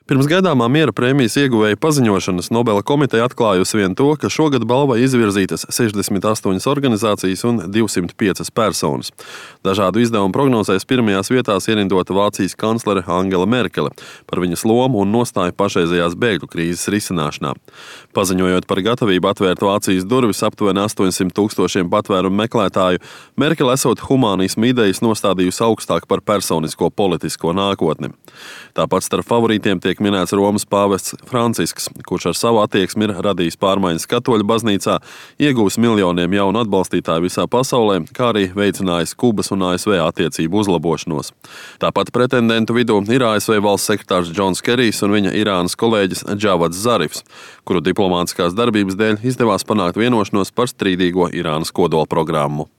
Pirms gaidāmā miera prēmijas ieguvēja paziņošanas Nobela komiteja atklājusi vien to, ka šogad balvai izvirzītas 68 organizācijas un 205 personas. Dažādu izdevumu prognozēs pirmajās vietās ierindota Vācijas kanclere Angela Merkele par viņas lomu un nostāju pašreizējās bēgļu krīzes risināšanā. Paziņojot par gatavību atvērt Vācijas durvis aptuveni 800 000 patvērumu meklētāju, Merkele esot humānismu idejas nostādījusi augstāk par personisko politisko nākotni. Tāpat starp favorītiem tiek minēts Romas pāvests Francisks, kurš ar savu attieksmi ir radījis pārmaiņas katoļu baznīcā, iegūs miljoniem jaunu atbalstītāju visā pasaulē, kā arī veicinājis Kubas un ASV attiecību uzlabošanos. Tāpat pretendentu vidū ir ASV valsts sekretārs Džons Kerijs un viņa Irānas kolēģis Džavads Zarifs, kuru diplomātiskās darbības dēļ izdevās panākt vienošanos par strīdīgo Irānas kodolprogrammu.